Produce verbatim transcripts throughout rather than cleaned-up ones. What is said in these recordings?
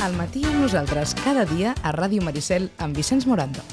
Al matí amb nosaltres, cada dia a Ràdio Maricel amb Vicenç Morando.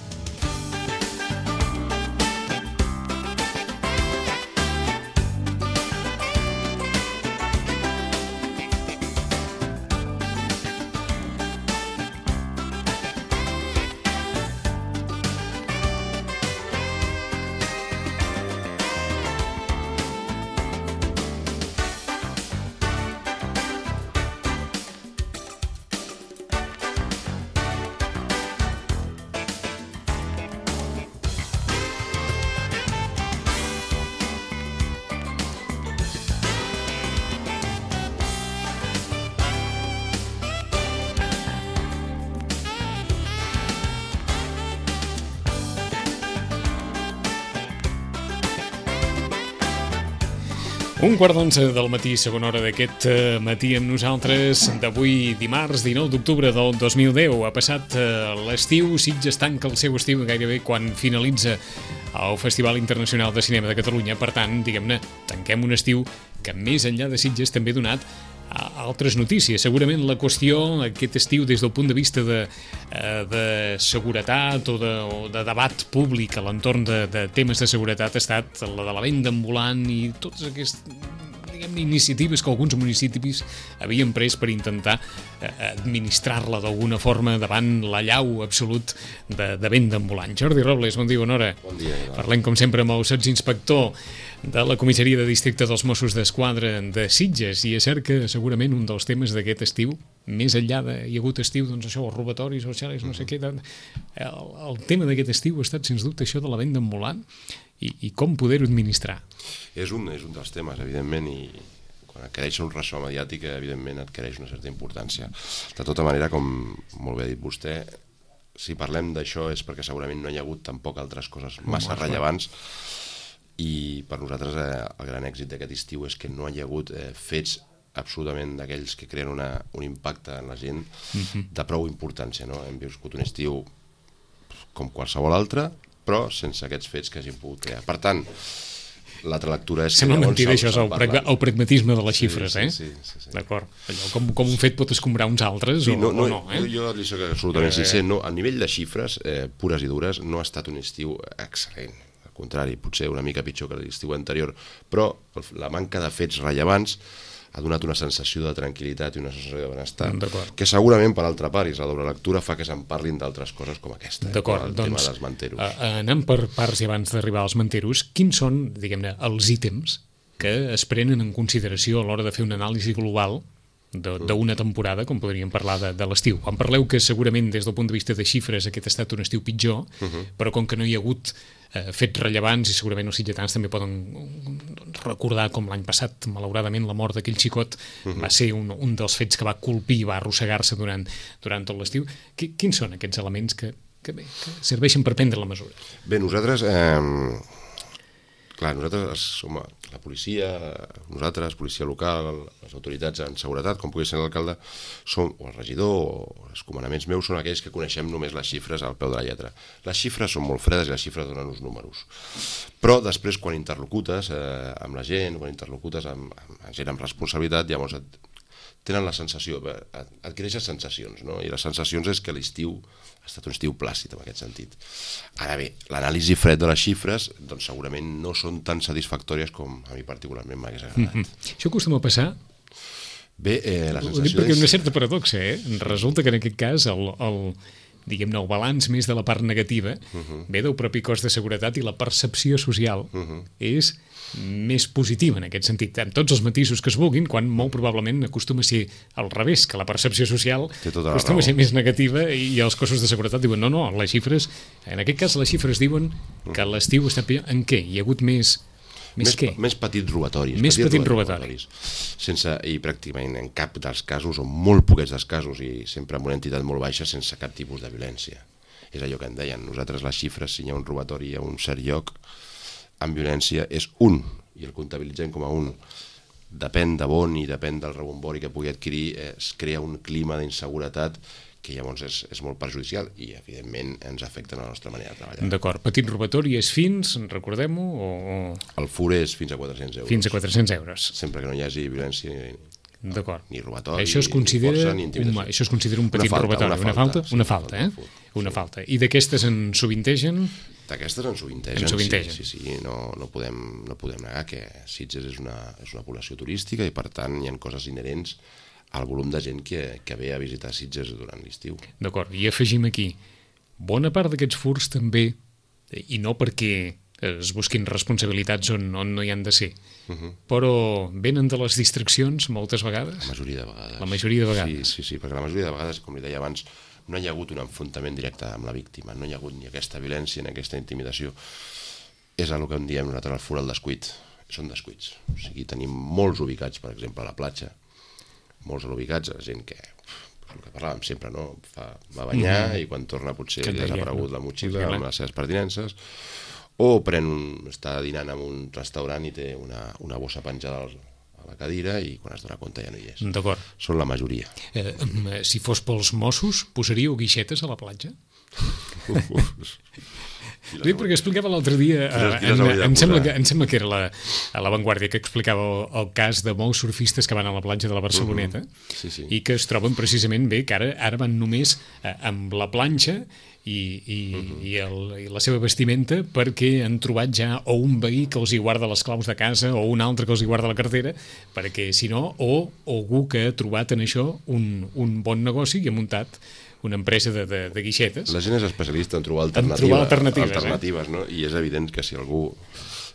Un quart d'onze del matí, segona hora d'aquest matí amb nosaltres, d'avui dimarts dinou d'octubre del dos mil deu. Ha passat l'estiu, Sitges tanca el seu estiu gairebé quan finalitza el Festival Internacional de Cinema de Catalunya. Per tant, diguem-ne, tanquem un estiu que més enllà de Sitges també ha donat altres notícies. Segurament la qüestió aquest estiu des del punt de vista de, de seguretat o de, o de debat públic a l'entorn de, de temes de seguretat ha estat la de la venda ambulant i totes aquestes iniciatives que alguns municipis havien pres per intentar administrar-la d'alguna forma davant l'allau absolut de, de venda ambulant. Jordi Robles, bon dia, bona hora. Bon dia. Parlem, com sempre, amb el sotsinspector de la comissaria de districte dels Mossos d'Esquadra de Sitges, i és cert que segurament un dels temes d'aquest estiu, més enllà de hi ha hagut estiu, doncs això, els robatoris, els xales, no sé què, el, el tema d'aquest estiu ha estat, sens dubte, això de la venda ambulant i, i com poder-ho administrar. És un, és un dels temes, evidentment, i quan adquireix un ressò mediàtic, evidentment, adquireix una certa importància. De tota manera, com molt bé ha dit vostè, si parlem d'això és perquè segurament no hi ha hagut tampoc altres coses massa rellevants, i per nosaltres eh, el gran èxit d'aquest estiu és que no hi ha hagut eh, fets absolutament d'aquells que creen una, un impacte en la gent mm-hmm. de prou importància, no? Hem viscut un estiu com qualsevol altre, però sense aquests fets que hagin pogut crear. Per tant, l'altra lectura és... Sembla mentida, això és el, prag el pragmatisme de les sí, xifres, sí, eh? Sí, sí, sí. D'acord. Com, com un fet pot escombrar uns altres sí, o no, no, o no eh? Jo, jo li soc absolutament eh... sincer, no, a nivell de xifres eh, pures i dures no ha estat un estiu excel·lent. Al contrari, potser una mica pitjor que l'estiu anterior, però la manca de fets rellevants ha donat una sensació de tranquil·litat i una sensació de benestar, que segurament, per altra part, i és la doble lectura, fa que se'n parlin d'altres coses com aquesta, eh, com el doncs, tema dels manteros. Uh, anem per parts i abans d'arribar als manteros, quins són, diguem-ne, els ítems que es prenen en consideració a l'hora de fer una anàlisi global d'una temporada, com podríem parlar de, de l'estiu? Quan parleu que segurament des del punt de vista de xifres aquest ha estat un estiu pitjor, uh-huh. però com que no hi ha hagut eh, fets rellevants i segurament els sitgetans també poden recordar com l'any passat, malauradament, la mort d'aquell xicot uh-huh. va ser un, un dels fets que va colpir i va arrossegar-se durant, durant tot l'estiu. Quins són aquests elements que, que, bé, que serveixen per prendre la mesura? Bé, nosaltres... Eh... Clar, nosaltres som la policia, nosaltres, policia local, les autoritats en seguretat, com pugui ser l'alcalde, som, o el regidor, o els comandaments meus, són aquells que coneixem només les xifres al peu de la lletra. Les xifres són molt fredes i les xifres donen uns números. Però després, quan interlocutes eh, amb la gent, quan interlocutes amb, amb gent amb responsabilitat, llavors et, tenen la sensació, adquireixes sensacions, no? I les sensacions és que l'estiu ha estat un estiu plàcid en aquest sentit. Ara bé, l'anàlisi fred de les xifres doncs segurament no són tan satisfactòries com a mi particularment m'hagués agradat. Mm-hmm. Això acostuma a passar? Bé, eh, la sensació ho dic perquè és... una certa paradoxa, eh? Resulta que en aquest cas el, el, diguem-ne, el balanç més de la part negativa uh-huh. ve del propi cos de seguretat i la percepció social uh-huh. és més positiva en aquest sentit, amb tots els matisos que es vulguin, quan molt probablement acostuma a ser al revés, que la percepció social acostuma a ser més negativa i els cossos de seguretat diuen no, no, les xifres, en aquest cas les xifres diuen que l'estiu està pitjor. En què? Hi ha hagut més... Més, més, què? més petits robatoris. Més petits robatoris. Sense, i pràcticament en cap dels casos, o molt poquets dels casos, i sempre amb una entitat molt baixa, sense cap tipus de violència. És allò que em deien. Nosaltres les xifres, si hi ha un robatori a un cert lloc, amb violència és un, i el comptabilitzem com a un. Depèn de bon i depèn del rebombori que pugui adquirir, es crea un clima d'inseguretat que llavors és, és molt perjudicial i, evidentment, ens afecta la nostra manera de treballar. D'acord. Petit robatori és fins, recordem-ho? O... El fur és fins a quatre-cents euros. Fins a quatre-cents euros. Sempre que no hi hagi violència D'acord. Ni robatori, això es considera, ni força, ni intimidació. un, això es considera un petit Una falta, robatori. una Una falta, falta? sí, Una falta, eh? sí. Una falta. I d'aquestes en sovintegen? D'aquestes en sovintegen, En sovintegen. sí, sí, sí. No, no, podem, no podem negar que Sitges és una, és una població turística i per tant hi ha coses inherents al volum de gent que, que ve a visitar Sitges durant l'estiu. D'acord, i afegim aquí, bona part d'aquests furts també, i no perquè es busquin responsabilitats on, on no hi han de ser, uh -huh. però venen de les distraccions moltes vegades? La majoria de vegades. La majoria de vegades. Sí, sí, sí, perquè la majoria de vegades, com li deia abans, no hi ha hagut un enfrontament directe amb la víctima, no hi ha hagut ni aquesta violència ni aquesta intimidació. És el que en diem nosaltres el furt al descuit. Són descuits. O sigui, tenim molts ubicats, per exemple, a la platja, molts ubicats, gent que, el que parlàvem sempre, no? Fa, va banyar mm-hmm. i quan torna potser li ha desaparegut la motxilla amb les seves pertinences, o pren un, està dinant en un restaurant i té una, una bossa penjada a la cadira i quan es dona compte ja no hi és. D'acord. Són la majoria. Eh, si fos pels Mossos, posaríeu guixetes a la platja? Sí, perquè explicava l'altre dia, eh, en, em, sembla que, em sembla que era la, a La Vanguardia, que explicava el, el cas de molts surfistes que van a la platja de la Barceloneta uh -huh. sí, sí. i que es troben precisament bé, que ara, ara van només eh, amb la planxa i, i, uh -huh. i, el, i la seva vestimenta, perquè han trobat ja o un veí que els hi guarda les claus de casa o un altre que els hi guarda la cartera, perquè si no, o, o algú que ha trobat en això un, un bon negoci i ha muntat una empresa de, de, de guixetes. La gent és especialista en trobar alternatives, en trobar alternatives, alternatives eh? no? I és evident que si algú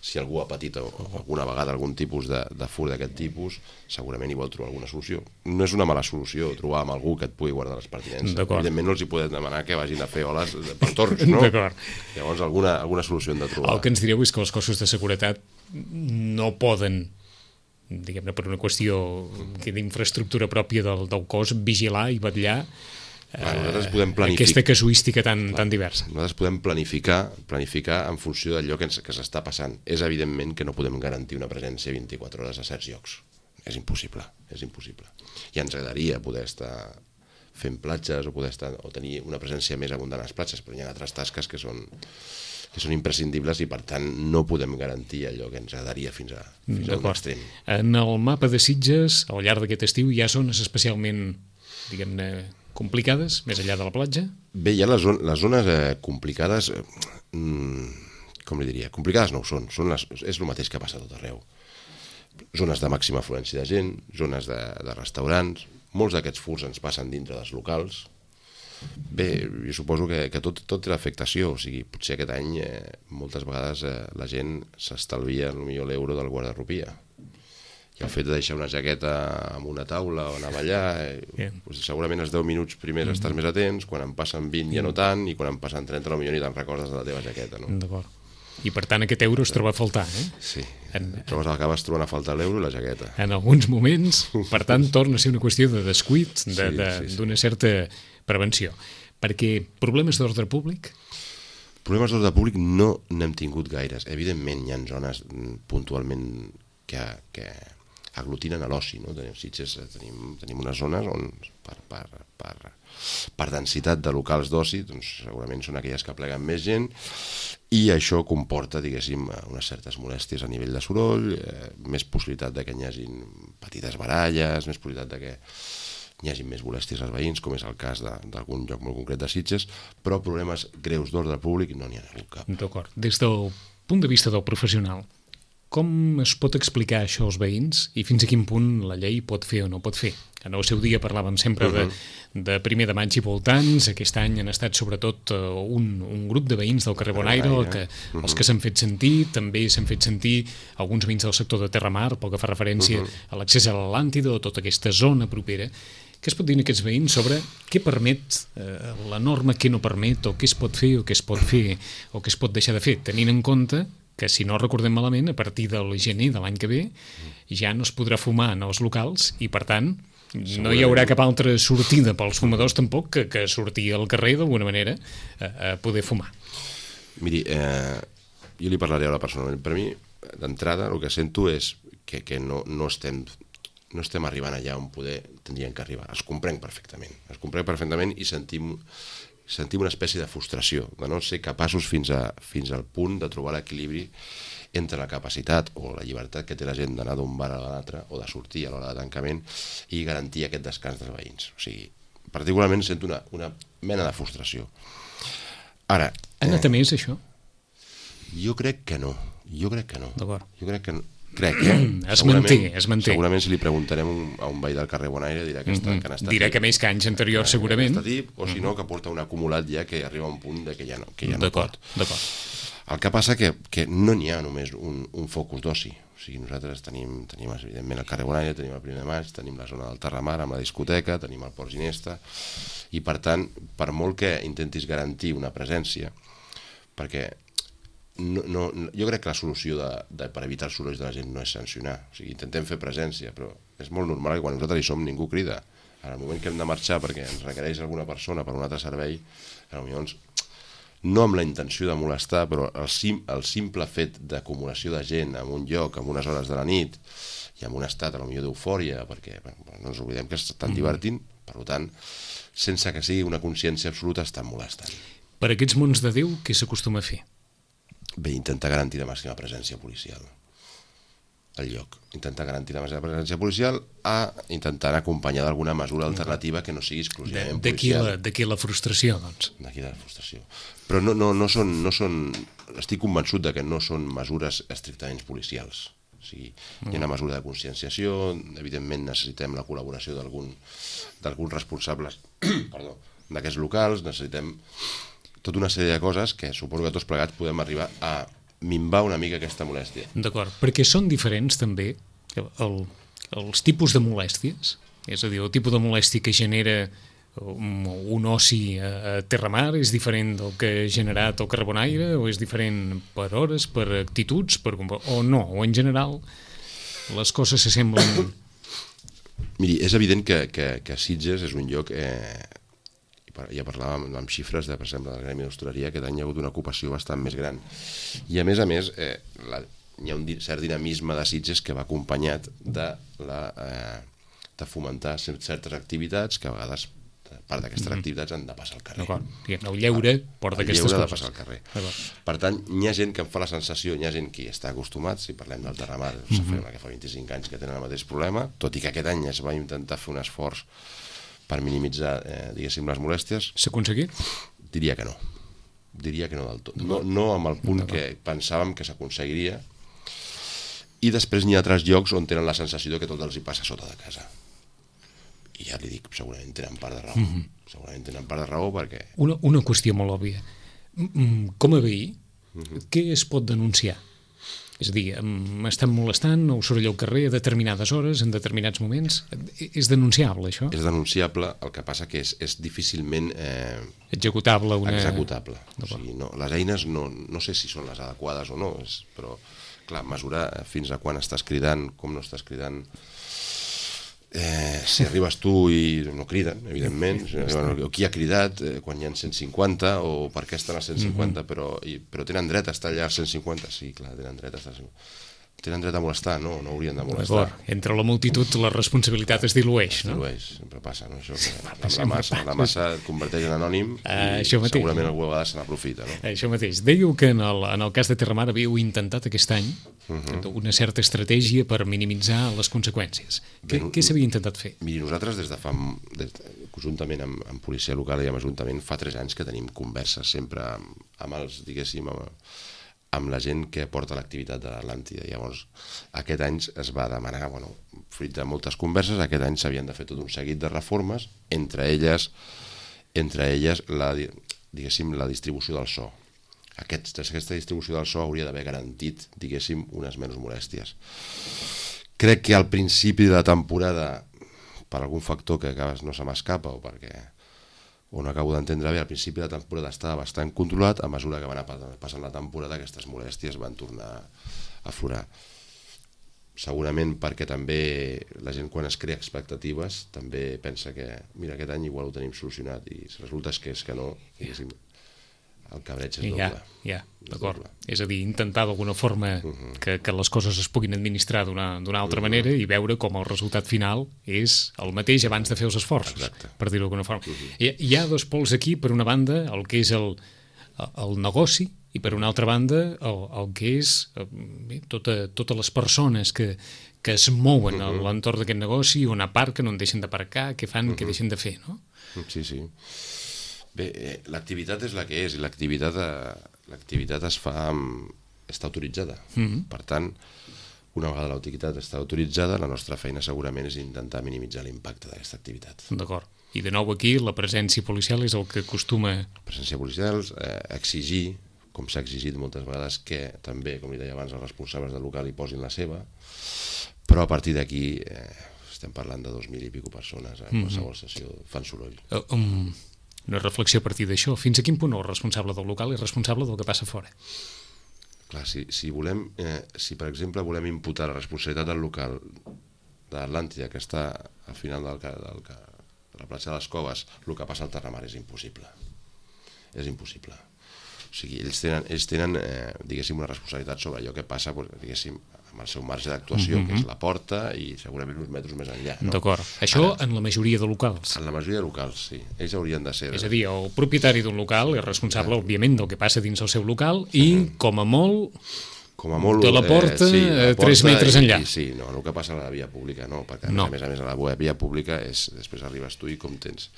si algú ha patit alguna vegada algun tipus de, de furt d'aquest tipus, segurament hi vol trobar alguna solució. No és una mala solució trobar amb algú que et pugui guardar les pertinences. Evidentment no els hi podem demanar que vagin a fer oles per torns, no? Llavors alguna, alguna solució hem de trobar. El que ens direu és que els cossos de seguretat no poden, diguem-ne per una qüestió d'infraestructura pròpia del, del cos, vigilar i vetllar Clar, nosaltres podem planificar aquesta casuística tan, tan diversa. Nosaltres podem planificar planificar en funció d'allò que, ens, que s'està passant. És evidentment que no podem garantir una presència vint-i-quatre hores a certs llocs. És impossible, és impossible. I ens agradaria poder estar fent platges o poder estar o tenir una presència més abundant a les platges, però hi ha altres tasques que són que són imprescindibles i per tant no podem garantir allò que ens agradaria fins a, fins a un extrem. En el mapa de Sitges, al llarg d'aquest estiu, hi ha zones especialment, diguem-ne, complicades, més enllà de la platja? Bé, hi ha les, zon les zones eh, complicades, eh, com li diria, complicades no ho són, són les, és el mateix que passa a tot arreu. Zones de màxima afluència de gent, zones de, de restaurants, molts d'aquests furts ens passen dintre dels locals. Bé, jo suposo que, que tot, tot té l'afectació, o sigui, potser aquest any eh, moltes vegades eh, la gent s'estalvia potser l'euro del guardarropia. I el fet de deixar una jaqueta en una taula o anar a ballar, eh, yeah. doncs segurament els deu minuts primers mm-hmm. estàs més atents, quan en passen vint ja no tant, i quan en passen trenta potser ni te'n recordes de la teva jaqueta. No? D'acord. I per tant aquest euro es troba a faltar, eh? Sí, en, trobes, acabes trobant a faltar l'euro i la jaqueta. En alguns moments, per tant, torna a ser una qüestió de descuit, d'una de, de, sí, sí, sí. certa prevenció. Perquè problemes d'ordre públic? Problemes d'ordre públic no n'hem tingut gaires. Evidentment hi ha zones puntualment que... que aglutinen a l'oci, no? Tenim Sitges, tenim, tenim unes zones on per, per, per, per densitat de locals d'oci doncs segurament són aquelles que pleguen més gent i això comporta, diguéssim, unes certes molèsties a nivell de soroll, eh, més possibilitat de que hi hagin petites baralles, més possibilitat de que hi hagi més molèsties als veïns, com és el cas d'algun lloc molt concret de Sitges, però problemes greus d'ordre públic no n'hi ha hagut cap. D'acord. Des del punt de vista del professional, com es pot explicar això als veïns i fins a quin punt la llei pot fer o no pot fer? En el seu dia parlàvem sempre de, de primer de maig i voltants, aquest any han estat sobretot un, un grup de veïns del carrer Bonaire, que, els que s'han fet sentir, també s'han fet sentir alguns veïns del sector de Terramar, pel que fa referència a l'accés a l'Atlàntida o tota aquesta zona propera. Què es pot dir a aquests veïns sobre què permet eh, la norma, què no permet, o què es pot fer o què es pot fer o què es pot deixar de fer, tenint en compte que, si no recordem malament, a partir del gener de l'any que ve ja no es podrà fumar en els locals i, per tant, no hi haurà cap altra sortida pels fumadors tampoc que, que sortir al carrer d'alguna manera a, a poder fumar. Miri, eh, jo li parlaré ara personalment. Per mi, d'entrada, el que sento és que, que no, no estem... no estem arribant allà on poder tindríem que arribar. Els comprenc perfectament. Els comprenc perfectament i sentim... sentim una espècie de frustració, de no ser capaços fins, a, fins al punt de trobar l'equilibri entre la capacitat o la llibertat que té la gent d'anar d'un bar a l'altre o de sortir a l'hora de tancament i garantir aquest descans dels veïns. O sigui, particularment sento una, una mena de frustració. Ara... Ha anat a més, això? Jo crec que no. Jo crec que no. D'acord. Jo crec que no. Crec, eh? Es manté, es manté. Segurament si li preguntarem a un veí del carrer Bonaire dirà que, està, que han estat... Dirà que més que anys anteriors, segurament. Tip, o si no, que porta un acumulat ja que arriba a un punt de que ja no, que ja no pot. D'acord. El que passa que, que no n'hi ha només un, un focus d'oci. O sigui, nosaltres tenim, tenim evidentment el carrer Bonaire, tenim el primer de maig, tenim la zona del Terramar amb la discoteca, tenim el Port Ginesta, i per tant, per molt que intentis garantir una presència, perquè no, no, jo crec que la solució de, de, per evitar els sorolls de la gent no és sancionar. O sigui, intentem fer presència, però és molt normal que quan nosaltres hi som ningú crida. En el moment que hem de marxar perquè ens requereix alguna persona per un altre servei, potser no amb la intenció de molestar, però el, sim, el simple fet d'acumulació de gent en un lloc, en unes hores de la nit, i amb un estat, a lo millor, d'eufòria, perquè bueno, no ens oblidem que s'estan divertint, per tant, sense que sigui una consciència absoluta, estan molestant. Per aquests mons de Déu, què s'acostuma a fer? Bé, intentar garantir la màxima presència policial al lloc. Intentar garantir la màxima presència policial a intentar acompanyar d'alguna mesura alternativa que no sigui exclusivament policial. D'aquí la frustració, doncs. D'aquí la frustració. Però no, no, no, són, no són... Estic convençut de que no són mesures estrictament policials. O sigui, hi ha una mesura de conscienciació, evidentment necessitem la col·laboració d'alguns responsables perdó, d'aquests locals, necessitem tota una sèrie de coses que suposo que tots plegats podem arribar a minvar una mica aquesta molèstia. D'acord, perquè són diferents també el, els tipus de molèsties, és a dir, el tipus de molèstia que genera un oci a Terramar és diferent del que ha generat el carrer Bonaire, o és diferent per hores, per actituds, per, o no, o en general les coses s'assemblen. Miri, és evident que, que, que Sitges és un lloc, eh, ja parlàvem amb xifres de, per exemple, del gremi d'hostaleria, que any hi ha hagut una ocupació bastant més gran. I a més a més, eh, la, hi ha un cert dinamisme de Sitges que va acompanyat de, la, eh, de fomentar certes activitats que a vegades part d'aquestes mm-hmm. activitats han de passar al carrer. El lleure porta aquestes coses. El lleure ha de passar al carrer. Per tant, hi ha gent que em fa la sensació, hi ha gent que està acostumat, si parlem del Terramar, mm-hmm. que fa vint-i-cinc anys que tenen el mateix problema, tot i que aquest any es va intentar fer un esforç per minimitzar, eh, diguéssim, les molèsties. S'ha aconseguit? Diria que no. Diria que no del tot. No, no amb el punt que pensàvem que s'aconseguiria. I després n'hi ha altres llocs on tenen la sensació que tot els hi passa sota de casa. I ja li dic, segurament tenen part de raó. Mm-hmm. Segurament tenen part de raó perquè... Una, una qüestió molt òbvia. Com a veí, mm-hmm. què es pot denunciar? És a dir, m'estan molestant, o soroll al carrer a determinades hores, en determinats moments. És denunciable, això? És denunciable, el que passa que és, és difícilment... Eh, executable. Una... Executable. O sigui, no, les eines no, no sé si són les adequades o no, és, però, clar, mesurar fins a quan estàs cridant, com no estàs cridant... Eh, si arribes tu i no criden, evidentment, o qui ha cridat eh, quan hi ha cent cinquanta, o per què estan a cent cinquanta, mm-hmm. però, i, però tenen dret a estar allà a cent cinquanta, sí, clar, tenen dret a estar a cent cinquanta. Tenen dret a molestar, no, no haurien de molestar. Entre la multitud la responsabilitat es dilueix, no? Es dilueix, sempre passa, no? Això, que la, massa, la massa et converteix en anònim i uh, segurament algú a vegades se n'aprofita, no? Això mateix. Dèieu que en el, en el cas de Terramar havíeu intentat aquest any uh-huh. una certa estratègia per minimitzar les conseqüències. Què, què s'havia intentat fer? Miri, nosaltres des de fa, des, conjuntament amb, amb policia local i amb ajuntament, fa tres anys que tenim converses sempre amb, amb els, diguéssim, amb, amb la gent que porta l'activitat de l'Atlàntida. Llavors, aquest any es va demanar, bueno, fruit de moltes converses, aquest any s'havien de fer tot un seguit de reformes, entre elles, entre elles la, diguéssim, la distribució del so. Aquest, aquesta distribució del so hauria d'haver garantit, diguéssim, unes menys molèsties. Crec que al principi de la temporada, per algun factor que a vegades no se m'escapa o perquè o no acabo d'entendre bé, al principi de la temporada estava bastant controlat, a mesura que va anar passant la temporada aquestes molèsties van tornar a aflorar. Segurament perquè també la gent quan es crea expectatives també pensa que mira, aquest any igual ho tenim solucionat i resulta que és que no, diguéssim, el cabreig és doble. Ja, ja, d'acord. És a dir, intentar d'alguna forma uh-huh. que, que les coses es puguin administrar d'una altra uh-huh. manera i veure com el resultat final és el mateix abans de fer els esforços, exacte. Per dir-ho d'alguna forma. Uh-huh. Hi, hi ha dos pols aquí, per una banda, el que és el, el negoci i per una altra banda el, el que és bé, tota, totes les persones que, que es mouen uh -huh. a l'entorn d'aquest negoci, on aparquen, on deixen d'aparcar, què fan, uh -huh. què deixen de fer, no? Sí, sí. Bé, eh, l'activitat és la que és i l'activitat eh, l'activitat es fa amb... està autoritzada. Uh -huh. Per tant, una vegada l'activitat està autoritzada, la nostra feina segurament és intentar minimitzar l'impacte d'aquesta activitat. D'acord. I de nou aquí la presència policial és el que acostuma... La presència policial, eh, exigir, com s'ha exigit moltes vegades, que també, com li deia abans, els responsables del local hi posin la seva, però a partir d'aquí eh, estem parlant de dos mil i pico persones en qualsevol mm -hmm. sessió, fan soroll. Uh, um, una reflexió a partir d'això. Fins a quin punt el responsable del local és responsable del que passa fora? Clar, si, si volem, eh, si per exemple volem imputar la responsabilitat del local d'Atlàntida, que està al final del, del, de la platja de les Coves, el que passa al Terramar és impossible. És impossible. O sigui, ells tenen, ells tenen eh, diguéssim, una responsabilitat sobre allò que passa, diguéssim, amb el seu marge d'actuació, mm-hmm. que és la porta i segurament uns metres més enllà. No? D'acord. Això Ara, en la majoria de locals. En la majoria de locals, sí. Ells haurien de ser... És a dir, el propietari d'un local és responsable, eh. òbviament, del que passa dins el seu local i, mm-hmm. com a molt... Com a molt, de la porta, eh, sí, la porta tres metres i, enllà. I, sí, no, el que passa a la via pública no, perquè no. a més a més a la via pública és, després arribes tu i com tens,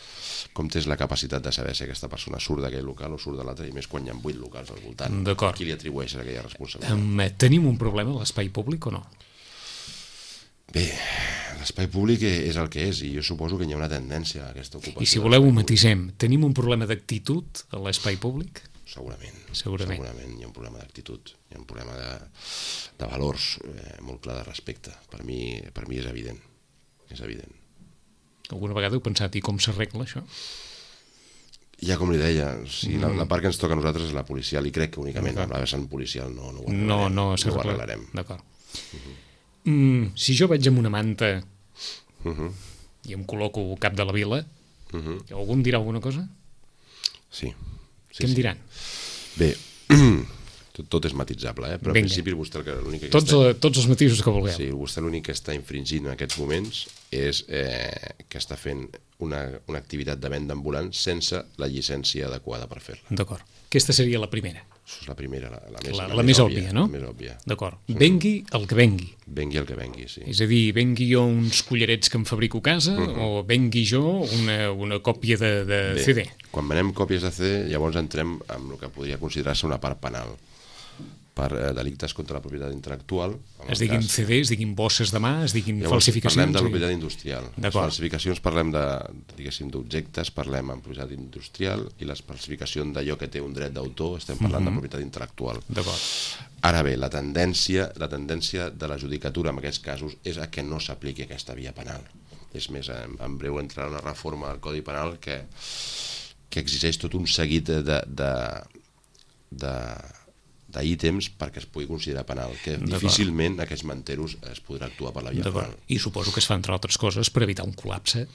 com tens la capacitat de saber si aquesta persona surt d'aquell local o surt de l'altre, i més quan hi ha vuit locals al voltant. Qui li atribueix aquella responsabilitat? Um, tenim un problema a l'espai públic o no? Bé, l'espai públic és el que és i jo suposo que hi ha una tendència a aquesta ocupació. I si voleu ho matisem, tenim un problema d'actitud a l'espai públic? Segurament, segurament. Segurament hi ha un problema d'actitud, hi ha un problema de, de valors eh, molt clar de respecte. Per mi, per mi és evident, és evident. Alguna vegada heu pensat i com s'arregla això? Ja com li deia, o sigui, mm. la, la part que ens toca a nosaltres és la policial i crec que únicament amb la vessant policial no, no ho arreglarem. No, no, no ho arreglarem. D'acord. Uh-huh. mm, si jo vaig amb una manta uh-huh. i em col·loco al cap de la vila, uh-huh. algú em dirà alguna cosa? Sí. Sí, Què em diran? Sí. Bé, tot, tot és matitzable, eh? Però Vinga. al principi vostè l'únic que tots, està... tots els matisos que vulgueu. Sí, vostè l'únic que està infringint en aquests moments és eh, que està fent una, una activitat de venda ambulant sense la llicència adequada per fer-la. D'acord. Aquesta seria la primera. Això és la primera, la, la, més, la, la, la més, més òbvia, òbvia, no? La més òbvia. D'acord. Vengui el que vengui. Vengui el que vengui, sí. És a dir, vengui jo uns collarets que em fabrico a casa uh-huh. o vengui jo una, una còpia de, de Bé, C D. Quan venem còpies de C D, llavors entrem en el que podria considerar-se una part penal per eh, delictes contra la propietat intel·lectual. Es diguin cas. C D, es diguin bosses de mà, es diguin llavors, falsificacions. Parlem de propietat industrial. Les falsificacions parlem de, diguéssim, d'objectes, parlem en propietat industrial, i les falsificacions d'allò que té un dret d'autor estem parlant uh-huh. de propietat intel·lectual. D'acord. Ara bé, la tendència, la tendència de la judicatura en aquests casos és a que no s'apliqui aquesta via penal. És més, en, en breu entrarà una reforma al Codi Penal que, que exigeix tot un seguit de, de, de d'ítems perquè es pugui considerar penal, que difícilment aquests manteros es podrà actuar per la via penal. I suposo que es fa, entre altres coses, per evitar un col·lapse.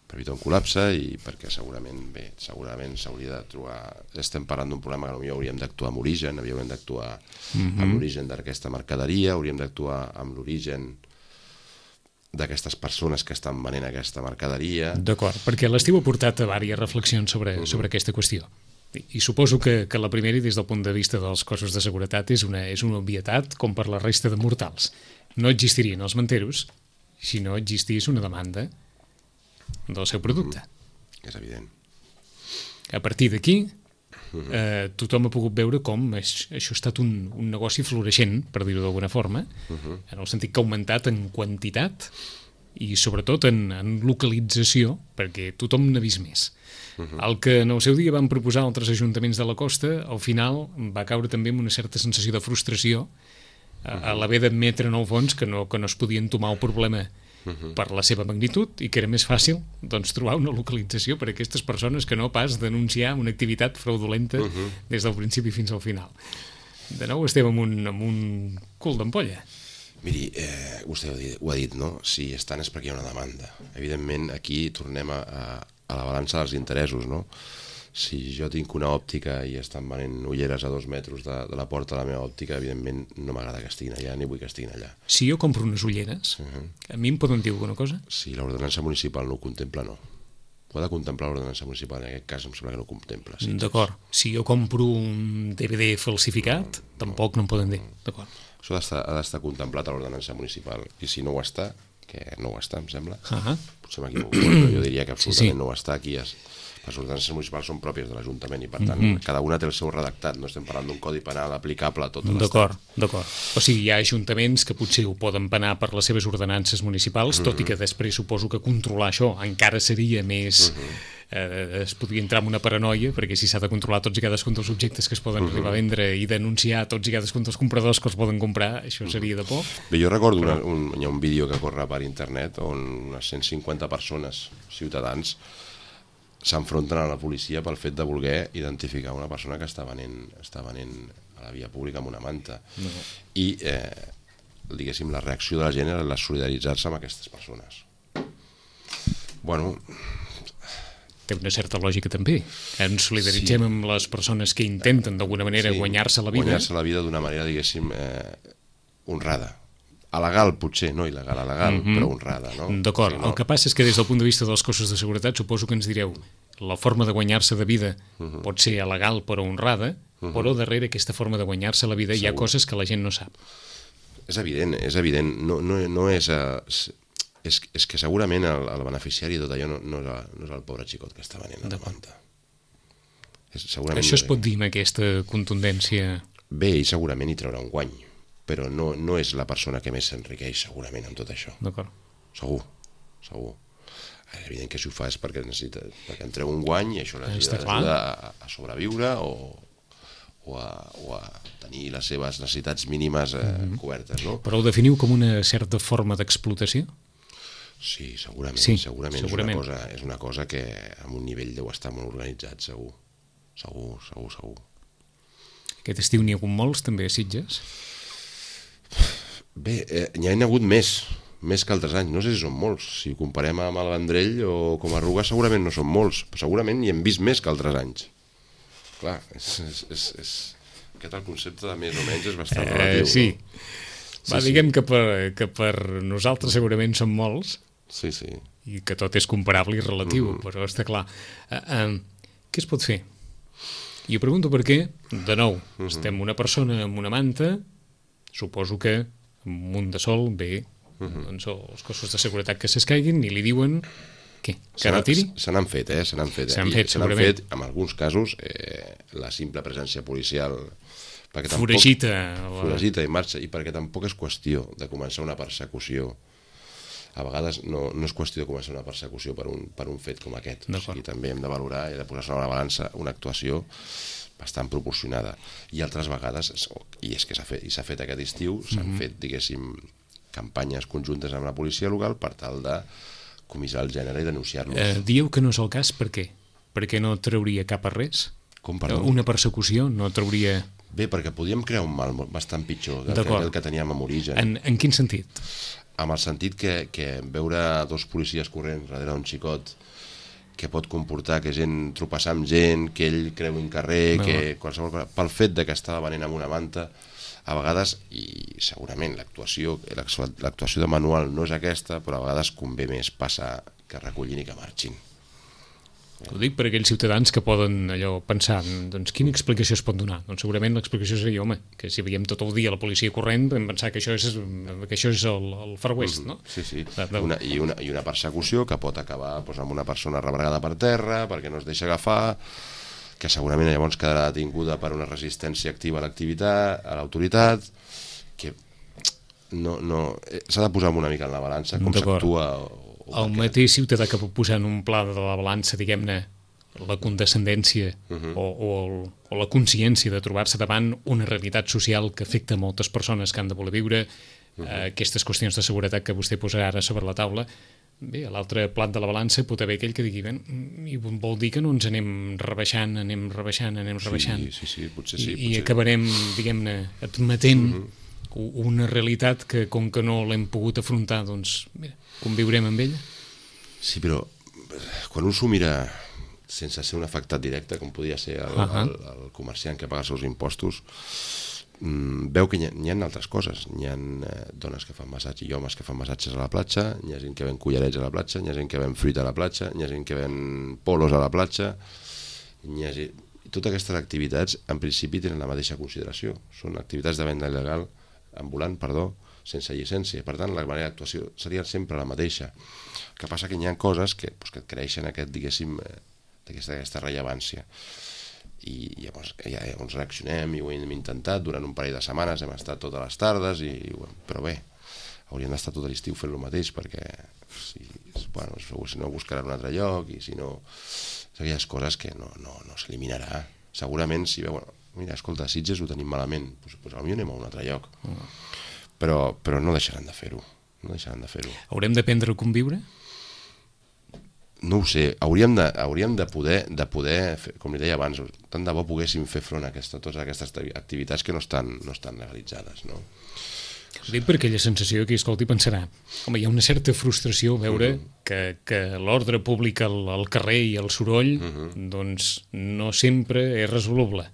Per evitar un col·lapse i perquè segurament, bé, segurament s'hauria de trobar... Estem parlant d'un problema que potser hauríem d'actuar amb origen, hauríem d'actuar mm-hmm. amb l'origen d'aquesta mercaderia, hauríem d'actuar amb l'origen d'aquestes persones que estan venent aquesta mercaderia... D'acord, perquè l'estiu ha portat a diverses reflexions sobre, mm-hmm. sobre aquesta qüestió. I suposo que, que la primera, i des del punt de vista dels cossos de seguretat, és una, és una obvietat com per la resta de mortals. No existirien els manteros si no existís una demanda del seu producte. Mm, és evident. A partir d'aquí, eh, tothom ha pogut veure com és, això ha estat un, un negoci floreixent, per dir-ho d'alguna forma, uh-huh. en el sentit que ha augmentat en quantitat i sobretot en, en localització, perquè tothom n'ha vist més. Uh-huh. El que en el seu dia van proposar altres ajuntaments de la costa, al final va caure també amb una certa sensació de frustració a, a l'haver d'admetre en el fons que no, que no es podien tomar el problema uh-huh. per la seva magnitud i que era més fàcil doncs, trobar una localització per a aquestes persones que no pas denunciar una activitat fraudulenta uh-huh. des del principi fins al final. De nou estem amb un, amb un cul d'ampolla. Miri, eh, vostè ho ha, dit, ho ha dit, no? Si estan és perquè hi ha una demanda. Evidentment, aquí tornem a, a, a la balança dels interessos, no? Si jo tinc una òptica i estan venent ulleres a dos metres de, de la porta de la meva òptica, evidentment no m'agrada que estiguin allà ni vull que estiguin allà. Si jo compro unes ulleres, uh-huh. a mi em poden dir alguna cosa? Si l'ordenança municipal no ho contempla, no. ho ha de contemplar l'ordenança municipal, en aquest cas em sembla que no contempla. Sí, D'acord. Si jo compro un D V D falsificat, no, tampoc no em poden dir. D'acord. Això ha d'estar contemplat a l'ordenança municipal, i si no ho està, que no ho està, em sembla, uh -huh. potser m'equivoco, però jo diria que absolutament sí, sí. no ho està aquí. Es, les ordenances municipals són pròpies de l'Ajuntament i, per tant, mm -hmm. cada una té el seu redactat, no estem parlant d'un codi penal aplicable a tot l'estat. D'acord, d'acord. O sigui, hi ha ajuntaments que potser ho poden penar per les seves ordenances municipals, mm -hmm. tot i que després suposo que controlar això encara seria més... Mm -hmm. eh, es podria entrar en una paranoia, perquè si s'ha de controlar tots i cadascun dels objectes que es poden uh-huh. arribar a vendre i denunciar tots i cadascun dels compradors que els poden comprar, això seria de por. Bé, jo recordo una, un, hi ha un vídeo que corre per internet on unes cent cinquanta persones, ciutadans, s'enfronten a la policia pel fet de voler identificar una persona que està venent, està venent a la via pública amb una manta. No. I, eh, diguéssim, la reacció de la gent era la solidaritzar-se amb aquestes persones. Bueno... Té una certa lògica també. Ens solidaritzem sí. amb les persones que intenten d'alguna manera sí, guanyar-se la vida. Guanyar-se la vida d'una manera, diguéssim, eh, honrada. Alegal, potser, no il·legal, alegal, mm-hmm. però honrada, no? D'acord. Sí, no? El que passa és que des del punt de vista dels cossos de seguretat suposo que ens direu la forma de guanyar-se de vida mm-hmm. pot ser alegal però honrada, mm-hmm. però darrere aquesta forma de guanyar-se la vida Segur. Hi ha coses que la gent no sap. És evident, és evident. No, no, no és... Uh, És, és que segurament el, el beneficiari de tot allò no, no, és el, no és el pobre xicot que està venent a la manta. És, Això es pot dir amb aquesta contundència? Bé, i segurament hi traurà un guany, però no, no és la persona que més s'enriqueix segurament amb tot això. D'acord. Segur, segur. És evident que si ho fa és perquè, necessita, perquè en treu un guany i això l'ajuda a, a sobreviure o, o, a, o a tenir les seves necessitats mínimes eh, mm-hmm. cobertes. No? Però ho definiu com una certa forma d'explotació? Sí, segurament, sí, segurament, segurament. És, una cosa, és una cosa que amb un nivell deu estar molt organitzat, segur. Segur, segur, segur. Aquest estiu n'hi ha hagut molts, també, a Sitges? Bé, eh, n'hi ha hagut més, més que altres anys. No sé si són molts. Si ho comparem amb el Vendrell o com a Ruga, segurament no són molts. Però segurament n'hi hem vist més que altres anys. Clar, és, és, és, és... aquest el concepte de més o menys és bastant eh, relatiu. Sí. No? Va, sí, diguem sí. que, per, que per nosaltres segurament són molts, sí, sí. i que tot és comparable i relatiu, mm-hmm. però està clar. Uh, uh, què es pot fer? I ho pregunto perquè, de nou, mm-hmm. estem una persona amb una manta, suposo que amb un de sol ve mm-hmm. doncs, els cossos de seguretat que s'escaiguin i li diuen què? Que retiri? Se n'han fet, eh? Se n'han fet, eh? Se n'han fet, se n'han fet, en alguns casos, eh, la simple presència policial... Foragita. Foragita i marxa, i perquè tampoc és qüestió de començar una persecució. A vegades no, no és qüestió de començar una persecució per un, per un fet com aquest. O sigui, també hem de valorar i de posar sobre la balança una actuació bastant proporcionada. I altres vegades, i és que s'ha fet, i s'ha fet aquest estiu, s'han mm-hmm. fet, diguéssim, campanyes conjuntes amb la policia local per tal de comissar el gènere i denunciar-los. Eh, dieu que no és el cas, per què? Perquè no trauria cap a res? Com, perdó? Una persecució no trauria... Bé, perquè podíem crear un mal bastant pitjor del que, el que teníem en origen. En, en quin sentit? En el sentit que, que veure dos policies corrents darrere d'un xicot que pot comportar que gent tropeçar amb gent, que ell creu un carrer, no. que qualsevol cosa, pel fet de que estava venent amb una manta, a vegades, i segurament l'actuació l'actuació de manual no és aquesta, però a vegades convé més passar que recollin i que marxin. Ho dic per aquells ciutadans que poden allò pensar, doncs quina explicació es pot donar? Doncs segurament l'explicació seria, home, que si veiem tot el dia la policia corrent vam pensar que això és, que això és el, el Far West, no? Sí, sí, una, i, una, i una persecució que pot acabar doncs, amb una persona rebregada per terra perquè no es deixa agafar, que segurament llavors quedarà detinguda per una resistència activa a l'activitat, a l'autoritat, que no, no, s'ha de posar una mica en la balança com s'actua. El mateix ciutadà que pot posar en un pla de la balança, diguem-ne, la condescendència uh-huh. o, o, el, o la consciència de trobar-se davant una realitat social que afecta moltes persones que han de voler viure, uh-huh. eh, aquestes qüestions de seguretat que vostè posarà ara sobre la taula. Bé, a l'altre plat de la balança pot haver aquell que digui, ben, i vol dir que no ens anem rebaixant, anem rebaixant, anem rebaixant. Sí, sí, sí, potser sí. I, potser... i acabarem, diguem-ne, admetent uh-huh. una realitat que, com que no l'hem pogut afrontar, doncs, mira, conviurem amb ella? Sí, però quan un s'ho mira sense ser un afectat directe, com podia ser el, uh-huh. el, el comerciant que paga els seus impostos, veu que hi ha, hi ha altres coses. Hi ha eh, dones que fan massatge i homes que fan massatges a la platja, hi ha gent que ven collarets a la platja, hi ha gent que ven fruita a la platja, hi ha gent que ven polos a la platja, hi ha gent... Totes aquestes activitats en principi tenen la mateixa consideració, són activitats de venda il·legal, ambulant, perdó, sense llicència, per tant la manera d'actuació seria sempre la mateixa. El que passa que hi ha coses que, pues, que creixen aquest, diguéssim, aquesta, aquesta rellevància. I llavors, ja, llavors reaccionem i ho hem intentat durant un parell de setmanes, hem estat totes les tardes, i, però bé, hauríem d'estar tot l'estiu fent el mateix perquè si, bueno, si no buscaran un altre lloc i si no, aquelles coses que no, no, no s'eliminarà. Segurament si veu, mira, escolta, Sitges ho tenim malament, doncs, doncs potser anem a un altre lloc, però, però no deixaran de fer-ho, no deixaran de fer-ho. Haurem d'aprendre a conviure? No ho sé, hauríem de, hauríem de poder, de poder fer, com li deia abans, tant de bo poguéssim fer front a aquesta, totes aquestes activitats que no estan, no estan legalitzades, no? Ho dic per aquella sensació que, escolti, pensarà, home, hi ha una certa frustració veure uh -huh. que, que l'ordre públic al, al carrer i el soroll, uh -huh. doncs no sempre és resoluble.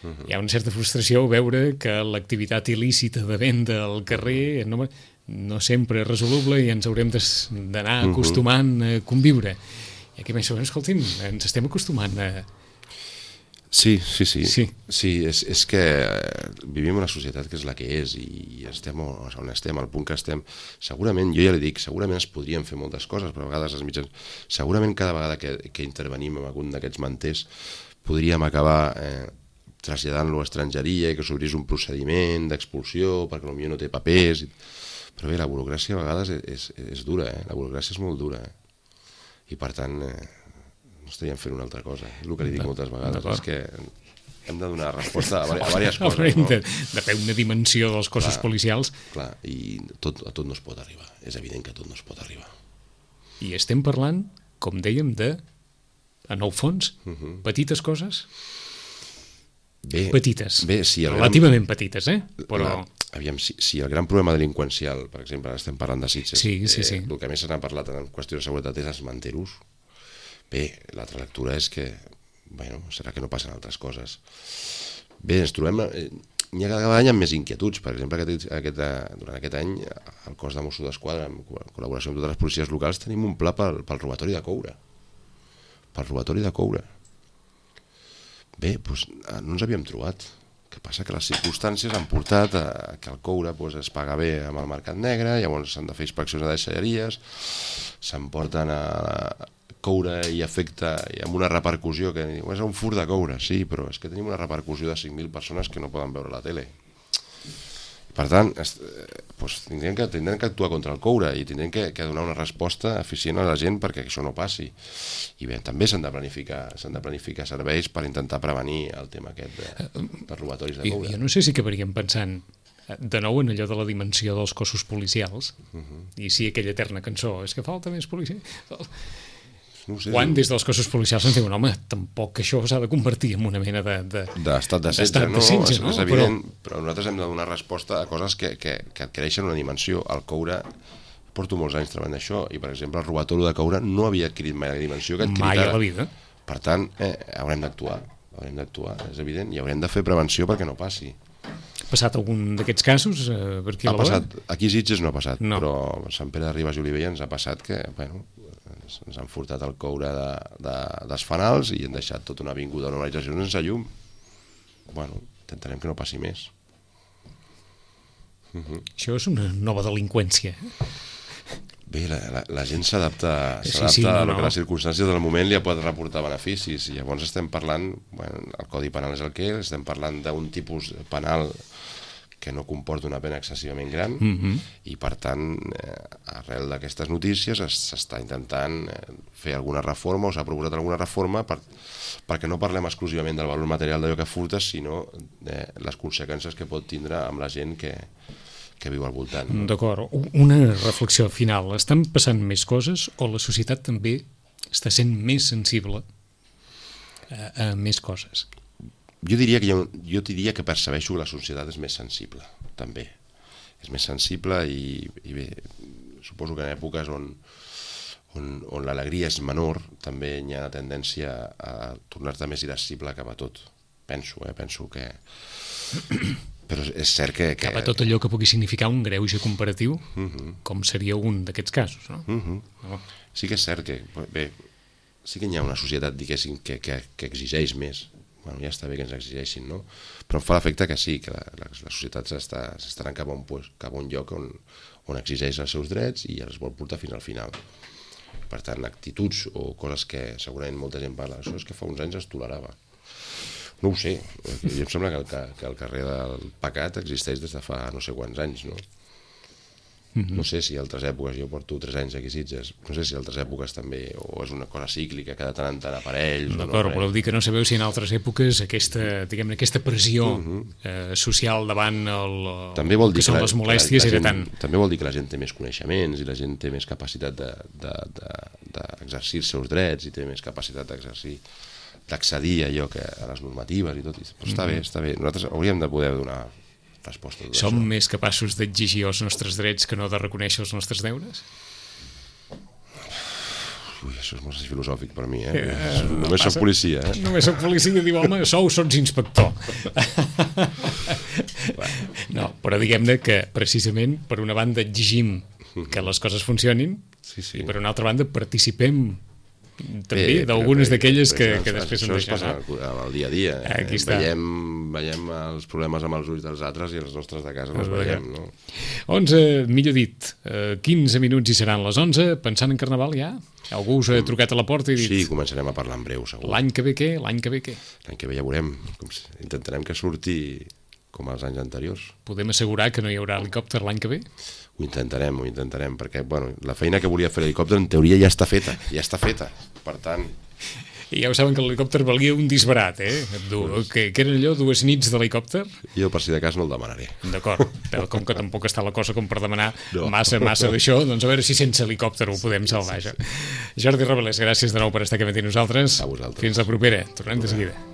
Uh -huh. Hi ha una certa frustració veure que l'activitat il·lícita de venda al carrer no, no sempre és resoluble i ens haurem d'anar acostumant a conviure. I aquí penso, escolti'm, ens estem acostumant a... Sí, sí, sí. Sí, sí és, és que vivim en una societat que és la que és i estem on estem, al punt que estem. Segurament, jo ja li dic, segurament es podrien fer moltes coses, però a vegades els mitjans... Segurament cada vegada que, que intervenim en algun d'aquests manters podríem acabar eh, traslladant-lo a estrangeria i que s'obrís un procediment d'expulsió perquè potser no té papers. Però bé, la burocràcia a vegades és, és, és dura, eh? La burocràcia és molt dura. Eh? I per tant... Eh, no estaríem fent una altra cosa, és el que li dic moltes vegades, és que hem de donar resposta a, a diverses coses. Haurem de, de fer una dimensió dels cossos clar, policials. Clar, i tot, a tot no es pot arribar, és evident que a tot no es pot arribar. I estem parlant, com dèiem, de, en el fons, uh -huh. petites coses? Bé, petites, bé, sí, relativament gran... petites, eh? Però... La, aviam, si, si el gran problema delinqüencial, per exemple, estem parlant de Sitges, sí, sí, sí. Eh, el que més se n'ha parlat en qüestió de seguretat és els manteros. Bé, l'altra lectura és que, bueno, serà que no passen altres coses. Bé, ens trobem... Eh, hi ha cada any amb més inquietuds. Per exemple, aquest, aquest, durant aquest any, el cos de Mossos d'Esquadra, en col·laboració amb totes les policies locals, tenim un pla pel, pel robatori de coure. Pel robatori de coure. Bé, doncs no ens havíem trobat. El que passa que les circumstàncies han portat a que el coure doncs, es paga bé amb el mercat negre, llavors s'han de fer inspeccions a deixalleries, s'emporten a... coure i afecta i amb una repercussió que és un furt de coure, sí, però és que tenim una repercussió de cinc mil persones que no poden veure la tele. Per tant, doncs, tindrem, que, tindrem que actuar contra el coure i tindrem que, que donar una resposta eficient a la gent perquè això no passi. I bé, també s'han de planificar s'han de planificar serveis per intentar prevenir el tema aquest de, de robatoris de coure. Jo, jo no sé si acabaríem pensant de nou en allò de la dimensió dels cossos policials uh -huh. i sí, aquella eterna cançó, és que falta més policia... No sé, quan des dels cossos policials ens diuen, home, tampoc això s'ha de convertir en una mena de... d'estat de setge, no? És, no? És evident, però... però nosaltres hem de donar resposta a coses que, que, que adquireixen una dimensió. El coure, porto molts anys treballant això, i per exemple el robatori de coure no havia adquirit mai la dimensió que ha adquirit mai a la vida. Per tant, eh, haurem d'actuar, haurem d'actuar, és evident, i haurem de fer prevenció perquè no passi. Ha passat algun d'aquests casos? Eh, per aquí ha a la passat, aquí a Sitges no ha passat, no. Però a Sant Pere de Ribes i Olivella ens ha passat que, bueno, ens han furtat el coure de, de, dels fanals i han deixat tota una avinguda d'urbanització sense llum. Bueno, intentarem que no passi més. Uh -huh. Això és una nova delinqüència. Bé, la, la, la gent s'adapta sí, s'adapta sí, no, a lo no. que les circumstàncies del moment li pot reportar beneficis, i llavors estem parlant, bueno, el Codi Penal és el que és, estem parlant d'un tipus penal que no comporta una pena excessivament gran, uh-huh. i per tant, eh, arrel d'aquestes notícies s'està intentant eh, fer alguna reforma, o s'ha proposat alguna reforma per, perquè no parlem exclusivament del valor material d'allò que furtes, sinó de les conseqüències que pot tindre amb la gent que, que viu al voltant. No? D'acord. Una reflexió final. Estan passant més coses o la societat també està sent més sensible a, a més coses? Jo diria, que jo, jo diria que percebeixo que la societat és més sensible, també. És més sensible i, i bé, suposo que en èpoques on, on, on l'alegria és menor també hi ha una tendència a tornar-te més irascible cap a tot. Penso, eh? Penso que però és cert que... que... Cap a tot allò que pugui significar un greuge comparatiu, uh -huh. com seria un d'aquests casos, no? Uh -huh. no? Sí que és cert que, bé, sí que hi ha una societat, diguéssim, que, que, que exigeix més. Bueno, ja està bé que ens exigeixin, no? Però em fa l'efecte que sí, que la, la, la societat s'estarà cap a un, pues, cap a un lloc on, on exigeix els seus drets i els vol portar fins al final. Per tant, actituds o coses que segurament molta gent parla, això és que fa uns anys es tolerava. No ho sé, jo em sembla que el, que el carrer del pecat existeix des de fa no sé quants anys, no? Mm-hmm. No sé si altres èpoques, jo porto tres anys aquí a Sitges, no sé si altres èpoques també, o és una cosa cíclica, que de tant en tant aparells... D'acord, no, voleu dir que no sabeu si en altres èpoques aquesta, diguem-ne, aquesta pressió mm-hmm. eh, social davant el, també vol dir que són que la, les molèsties que la, la era gent, tant... També vol dir que la gent té més coneixements i la gent té més capacitat d'exercir els seus drets i té més capacitat d'exercir d'accedir a allò que a les normatives i tot, però està mm-hmm. bé, està bé. Nosaltres hauríem de poder donar resposta a tot Som això. més capaços d'exigir els nostres drets que no de reconèixer els nostres deures? Ui, això és molt filosòfic per mi, eh? eh Només soc policia, eh? Només soc policia i diu, home, sou, sots inspector. No, però diguem-ne que precisament per una banda exigim que les coses funcionin sí, sí. i per una altra banda participem també Bé, d'algunes d'aquelles que, això, que després això ens es passa deixen. al, al dia a dia. Eh? Aquí està. Veiem, veiem els problemes amb els ulls dels altres i els nostres de casa no els veiem, no? onze, millor dit, quinze minuts i seran les onze, pensant en Carnaval ja? Algú us ha trucat a la porta i dit... Sí, començarem a parlar en breu, segur. L'any que ve què? L'any que ve què? L'any que ve ja veurem. Intentarem que surti com els anys anteriors. Podem assegurar que no hi haurà helicòpter l'any que ve? Ho intentarem, ho intentarem, perquè bueno, la feina que volia fer l'helicòpter en teoria ja està feta, ja està feta, per tant... I ja ho saben que l'helicòpter valia un disbarat, eh? Du, que, que eren allò, dues nits d'helicòpter? Jo per si de cas no el demanaré. D'acord, però com que tampoc està la cosa com per demanar no. massa, massa d'això, doncs a veure si sense helicòpter ho podem salvar, això. Jordi Robles, gràcies de nou per estar aquí amb nosaltres. A vosaltres. Fins la propera, tornem de seguida.